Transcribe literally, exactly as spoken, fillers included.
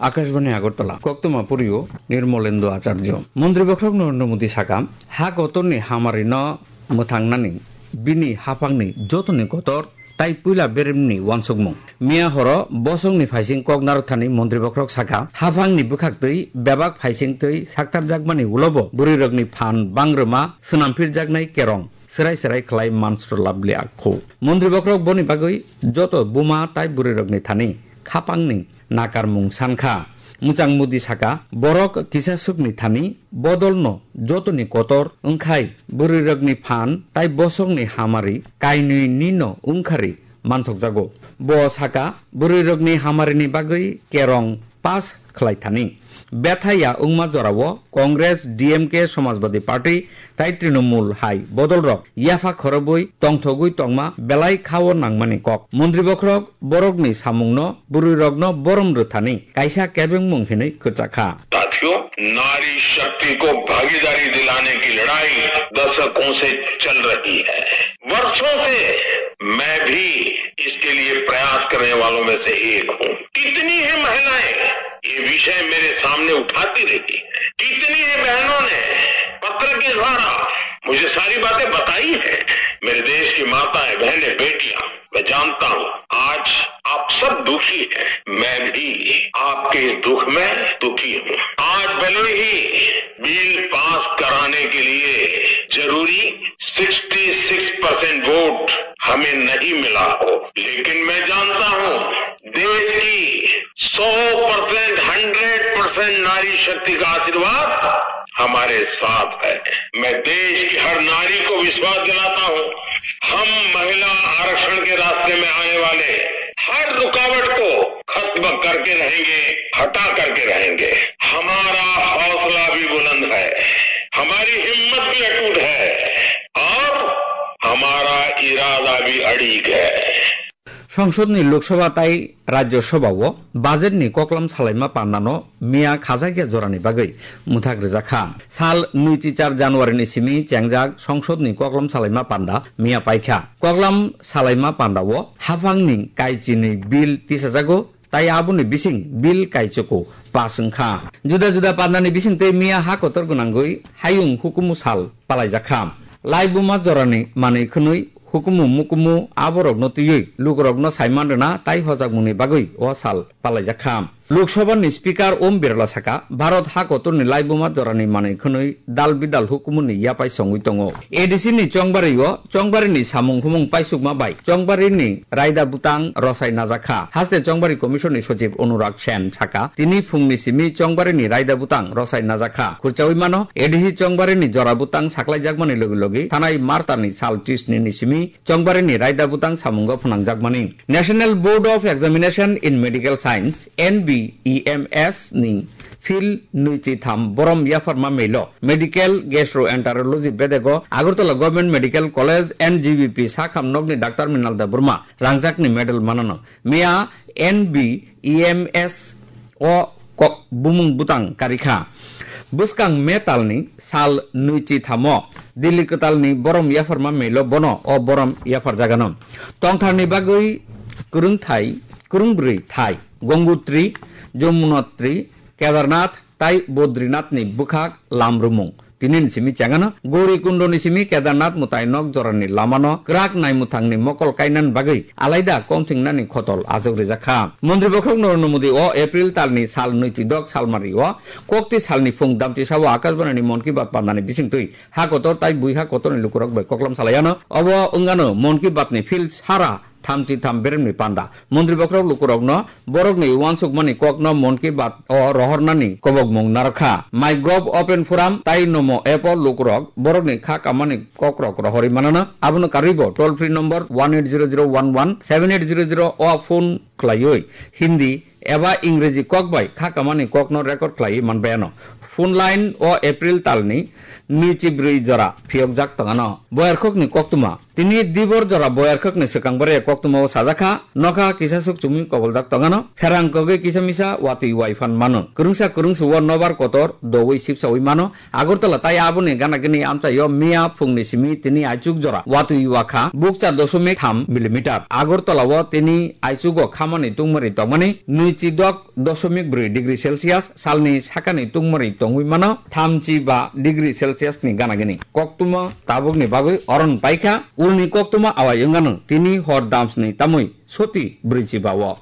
Akashbani Agartala, koktwma purio Nirmolendo Acharjo. Montri bokhorok Narendra Modi saka, ha kotorni hamarino mwthangnani bini haphangni jotoni kotor tai puila beremni uansukmung. Miya horo bosongni phaising kok narwkthani montri bokhorok saka, haphangni bwkhaktwi bebak phaisingtwi saktarjakmani ulobo bwrwirokni phan bangrwma swnamphirjaknai kerong serai serai khlai mansro labli akhu. Montri bokhorok boni bagwi joto buma tai bwrwirokni thani khapangni nakarmung sankha. Mwchang Modi saka, borok kisasukni thani bodolno jotoni kotor wngkhai bwrwirokni phan tai bosongni hamari kainwi nino wngkhari manthokjago. Bo saka, bwrwirokni hamarini bagwi kerong pass khlai thani. Bethaya wngma jorao Congress, D M K, Samajwadi Party tai Trinamool hai bodolrok yapha khorobwi tongthogwi tongma belai khao nangmani kok. Montri bokhorok borokni samungno, bwrwirokno borom rwthani kaisa kebengmung hinwi kwchakha. साथियों, नारी शक्ति को भागीदारी दिलाने की लड़ाई दशकों से चल रही है। वर्षों से मैं भी इसके लिए प्रयास करने वालों में से एक हूँ। कितनी ही महिलाएं ये विषय मेरे सामने उठाती रही, कितनी ही बहनों ने पत्र के द्वारा मुझे सारी बातें बताई हैं। मेरे देश की माताएं, बहनें, बेटियां, मैं जानता हूँ आज आप सब दुखी हैं, मैं भी आपके इस दुख में दुखी हूँ। आज भले ही बिल पास कराने के लिए जरूरी छियासठ परसेंट वोट हमें नहीं मिला हो, लेकिन मैं जानता हूँ देश की सौ परसेंट, हंड्रेड परसेंट नारी शक्ति का आशीर्वाद हमारे साथ है। मैं देश की हर नारी को विश्वास दिलाता हूँ, हम महिला आरक्षण के रास्ते में आने वाले हर रुकावट को खत्म करके रहेंगे, हटा करके रहेंगे। हमारा हौसला भी बुलंद है, हमारी हिम्मत भी अटूट है और हमारा इरादा भी अड़ीग है। Songsodni Lok Sabha tai Rajya Sabha o budget ni koklam salaima pandano miya khajakya jorani bagwi mwthak rwjakha. Sal nwichi char January ni simi chengjak Songsodni koklam salaima panda miya paikha. Koklam salaima panda o haphangni kaichinwi bill tisajago, tai aboni bising bill kaichoko pass wngkha. Juda juda pandani bisingtwi miya ha kotor gwnangwi hayung hukumu sal palaijakha. Laibuma jorani manwi khwnwi hukumu mukumu aborokno twiwi lukurokno saiman rwna tai hojakmungni bagwi o sal palaijakha. Lok Sabha ni Speaker Om Birla saka, Bharat ha kotorni laibuma jorani manwi khwnwi dal bidal hukumuni yapai songwi tongo. A D C ni chongbari o chongbari ni samung humung paisukma bai chongbari ni raida butang rosai najakha. Haste Chongbari Commission ni Sochib Anurag Sen saka, tini phungni simi chongbari ni raida butang rosai najakha. Khurchawi mano, A D C chongbari ni jora butang saklaijakmani logi logi thanai March talni sal tris ni simi chongbari ni raida butang samungo phwnangjakmani. National Board of Examination in Medical Science, N B E M S ni field nwichi tham borom yapharma melo medical gastroenterology bedego Agartala Government Medical College, N G B P sakham nokni Doctor Minal Debbarma rangjakni medal manano. Miya N B E M S o kok bumung butang karikha. Bwskang May talni sal nwichi thamo Delhi kwtalni borom yapharma melo bono o borom yapharjagano. Tongtharni bagwi kwrwngthai, kwrwngbrwi thai, Gongotri, Jamunotri, Kedarnath tai Bodrinathni bwkhak lamrwmung. Tini ni simi chengano Gauri Kundoni simi Kedarnath mwtai nok jorani lamano kwrak naimwthangni mokol kainani bagwi alaida kongthingnani khotol ajok rijakha. Montri bokhorok Narendra Modi o April talni sal nwichi dok salmari o kokti salni phung damchisa o Akashbani ni Mon Ki Baat pandani bisingtwi ha kotor tai bui ha kotorni lukurok bai koklam salaiano. Obo wngano Mon Ki Baat ni field sara thamchi tham beremni panda. Montri bokhorok lukurokno borokni uansukmani kokno Mon Ki Baat o rohornani kobokmung narwkha. MyGov Open Forum tai Namo app o lukurok borokni kha kamani kokrok rohorwi manana. Abono karwibo toll free number one eight zero zero one one seven eight zero zero o phone khlaiwi Hindi eba Ingreji kok bai kha kamani kokno record khlaiwi manbayano. Phone line o April talni nwichi brwi jora phiyokjak tongano. Boyarkhokni koktwma. Tini dibor jora boyarkhokni swkang bwrwi koktwmao sajakha, nokha kisasuk chumui koboljak tongano. Pherang kogwi kisa misa watwi waiphan mano. Kwrwngsa kwrwngsa o nobar kotor doui sipsaui mano. Agartala tai aboni gana gini amchaio miya phungni simi tini aichuk jora watwi wakha bukcha dosomik tham millimeter. Agartala o tini aichugo khamani tungmari tongmani nwichi dok dosomik brwi degree Celsius, salni sakani tungmari tongwi mano thamchi ba degree Celsius ni gana gini. Koktwma tabukni bagwi oron paikha, ulni koktwma awai wngano tini hor damsni tamwi soti brwichi ba o.